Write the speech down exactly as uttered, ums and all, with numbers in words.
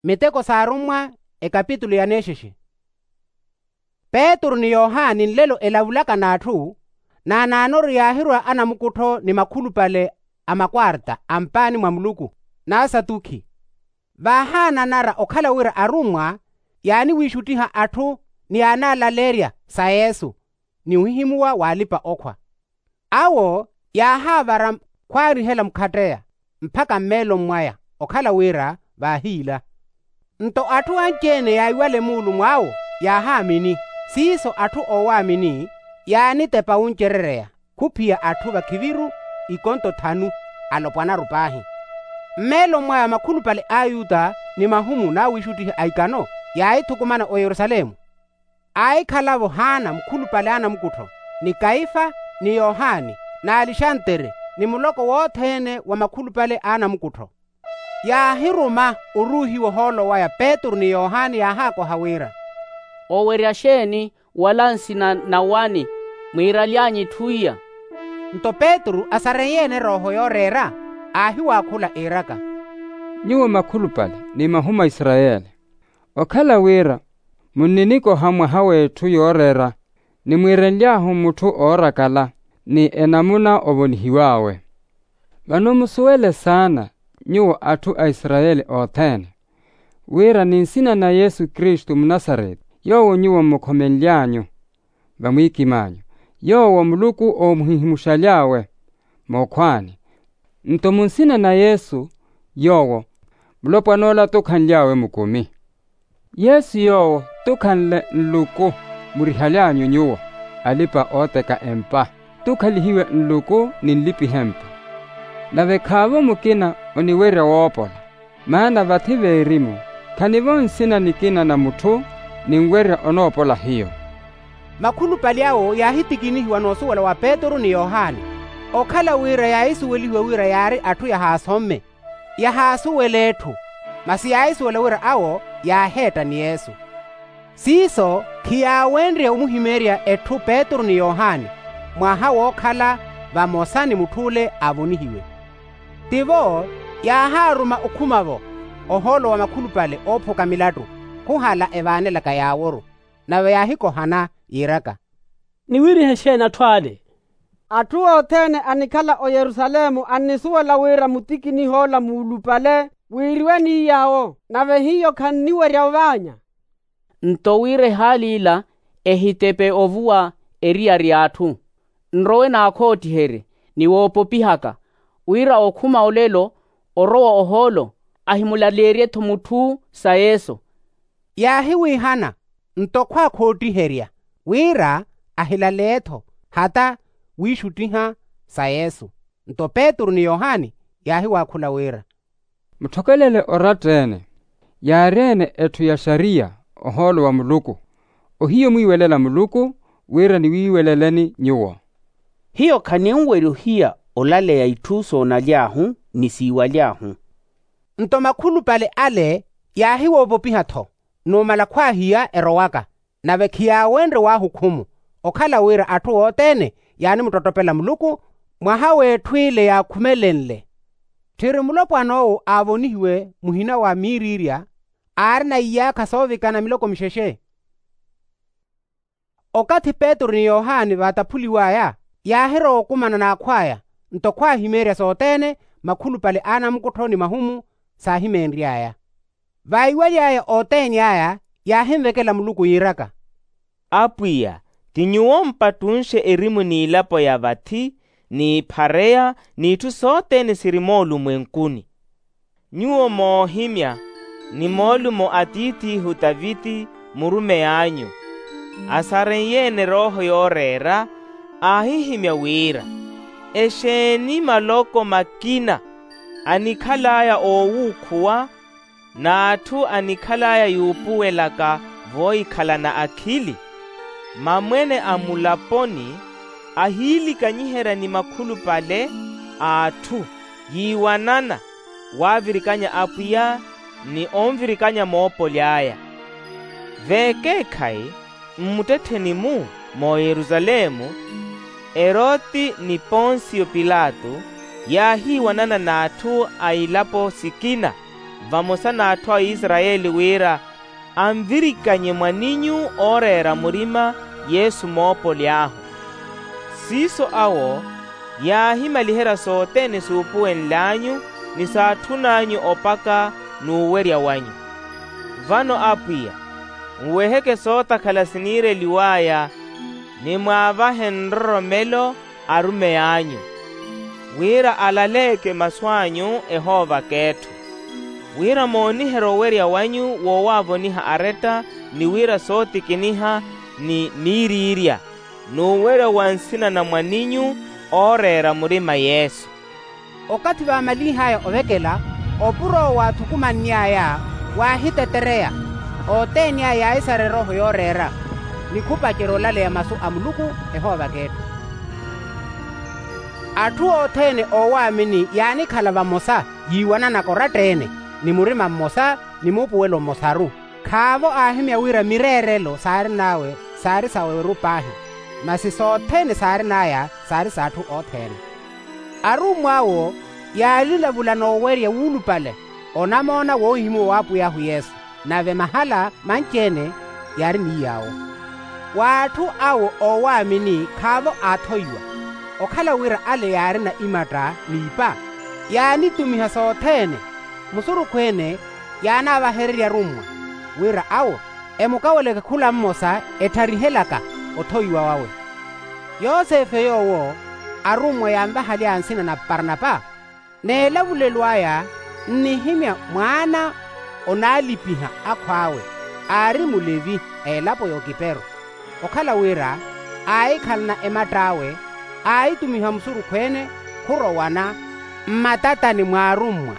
Miteko s'arummwa, ekapitulu ya nexexe. Petru ni yohani nlelo elavulaka n'atthu, naanaanoru yaahirwa anamukuttho ni makhulupale a makwarta a mpaani mwa muluku, n'asatukhi. Vaahaananara okhala wira arummwa yaaniwiixuttiha atthu ni yaanaalaleerya sa yesu, ni ohihimuwa w'alipa-okhwa. Awo yaahaavara khwaarihela mukhatteya mpakha mmeeloni mwaya, okhala wira vaahiila. Nto atthu anci-ene yaahiwale muulu mw'awo yaahaamini. Siiso atthu oowaamini yaanitepa wuncerereya khuphiya atthu vakhiviru ikonto thanu, alopwanaru paahi. Mmeeloni mwaya makhulupale a ayuta ni mahumu n'awiixuttihi a ikano yaahithukumana oyerusalemu. Aahikhala-vo haana mukhulupale a anamukuttho, ni kaifa, ni yohani, n'alexantere, ni muloko wothene wa makhulupale a anamukuttho. Yaahiruma oruuhiwa ohoolo waya petru ni yohani yaahaakoha wira, owerya xeeni wala nsina na wani mwiiraly'anyu itthu iya? Nto petru asareiye-ene erooho yooreera, aahiwaakhula iiraka, nyuwo makhulupale ni mahumu a isarayeli, okhala wira munninikoha mwaha w'etthu yooreera, ni mwiirenly'ahu mutthu oorakala ni enamuna ovonihiw'awe. Vano musuwele saana, nyuwo atthu a isarayeli othene, wira ni nsina na yesu kristu munasareti yoowo nyuwo mmukhomenly'anyu vamwiikim'anyu, yoowo muluku oomuhihimuxaly'awe mookhwaani, nto munsina na yesu yoowo mulopwan'ola tukhanly'awe mukumi. Yesu yoowo tukhanle nluku murihaly'anyu nyuwo, alipa-ooteka empa, tukhalihiwe nluku ni nlipiha empa. Nave khaavo mukina oniwerya woopola, maana vathi veerimu khanivo nsina nikina na mutthu ninwerya onoopola hiyo. Makhulupale awo yaahitikinihiwa n'usuwela wa petru ni yohani, okhala wira yaahisuwelihiwa wira yaari atthu yahaasomme, yahaasuwela etthu, masi yaahisuwela wira awo yaaheetta ni yesu. Siiso khiyaawenrye omuhimeerya etthu petru ni yohani mwaha wookhala vamosa ni mutth'ule aavonihiwe. Tivo yaahaaruma okhuma-vo ohoolo wa makhulupale oophuka milattu khuhala evaanelaka yaaworu. Nave yaahikohana yiiraka, niwiirihe xeeni atthu ale? Atthu othene anikhala oyerusalemu annisuwela wira mutikiniha ola muulupale wiiriwe ni yaawo, nave hiyo khanniwerya ovaanya. Nto wira ehaali ila ehitepe ovuwa eriyari y'atthu, nrowe naakhootiherye ni woopopihaka, wira okhuma olelo orowa ohoolo ahimulaleerye-tho mutthu sa yesu. Yaahiwiihana nto khwaakhootiherya wira ahilaleeye-tho hata wiixuttiha sa yesu. Nto petru ni yohani yaahiwaakhula wira, mutthokelele oratta-ene, yaari-ene etthu ya xariya ohoolo wa muluku, ohiya omwiiwelela muluku wira niwiiweleleni nyuwo. Hiyo khaninwerya ohiya olaleya itthu soonaly'ahu ni siiwaly'ahu. Nto makhulupale ale yaahiwoopopiha-tho numala khwaahiya erowaka, nave khiyaawenrye waahukhumu, okhala wira atthu othene yaanimuttottopela muluku mwaha w'etthu ile yaakhumelenle. Tthiri mulopwan'owo aavonihiwe muhina wa miiriirya aarina iyaakha soovikana miloko mixexe. Okathi petru ni yohani vaataphuliw'aya yaahirowa okumana n'akhw'aya, nto khwaahimeerya sothene makhulupale a anamukuttho ni mahumu saahimeenry'aya. Vaiwaly'aya othene aya yaahinvekela muluku yiiraka, apwiya, ti nyuwo mpattunxe erimu n'ilapo ya vathi n'iphareya n'itthu sothene siri moolumwenkuni. Nyuwo moohimya ni moolumo a tiith'ihu taviti murumey'anyu, asareiye-ene erooho yooreera aahihimya wira, exeeni maloko makina anikhal'aya oowuukhuwa n'atthu anikhal'aya yuupuwelaka voohikhalana akhili. Mamwene a mulaponi ahiilikanyiherya ni makhulupale a atthu yiiwanana waavirikanya apwiya ni onvirikanya moopoli aya. V'ekeekhayi mmuttettheni-mu mooyerusalemu, eroti ni ponsiyo pilato yaahiiwanana n'atthu a ilapo sikina vamosa n'atthu a isarayeli wira anvirikanye mwan'inyu ooreera murima yesu moopoly'ahu. Siiso awo yaahimaliherya sothene suupuwenl'anyu ni saatthun'anyu opaka n'uwerya wanyu. Vano apwiya, nweheke sootakhala siniireliw'aya ni mwaavahe nroromelo arumeyi anyu, wira alaleeke masu anyu ehoovak'etthu, wira mooniherye owerya wanyu woowaavoniha aretta ni wira sootikiniha ni miiriirya n'uwerya wa nsina na mwan'inyu ooreera murima yesu. Okathi vaamalih'aya ovekela, opuro owo aathukumanny'aya waahitetereya. Othene aya yaaisareya erooho yooreera ni khupacerya olaleya masu a muluku ehoovak'etthu. Atthu othene oowaamini yaanikhala vamosa yiiwananaka oratta-ene ni murima mmosa ni muupuwelo mmosaru. Khaavo aahimya wira mireerelo saarin'awe saari saweru paahi, masi sothene saarin'aya saari s'atthu othene. Arummw'awo yaalilavula n'owerya wuulupale onamoona woohihimuwa w'apwiy'ahu yesu, nave mahala manci-ene yaari ni yaawo. W'atthu awo oowaamini khaavo aathoiwa, okhala wira ale yaarina imatta n'ipa. Yaanitumiha sothene musurukhu-ene yaanaavahererya arummwa, wira awo emukaweleke khula mmosa ettharihelaka othoiwa wawe. Yosefe yoowo arummwa yaanvahaly'aya nsina na parnapa. N'elavulelo aya nnihimya mwaana onaalipiha akhw'awe, aari mulevi a elapo y'okipero. Okhala wira aahikhalana ematt'awe, aahitumiha musurukhu-ene khurowana mmatatani mw'arummwa.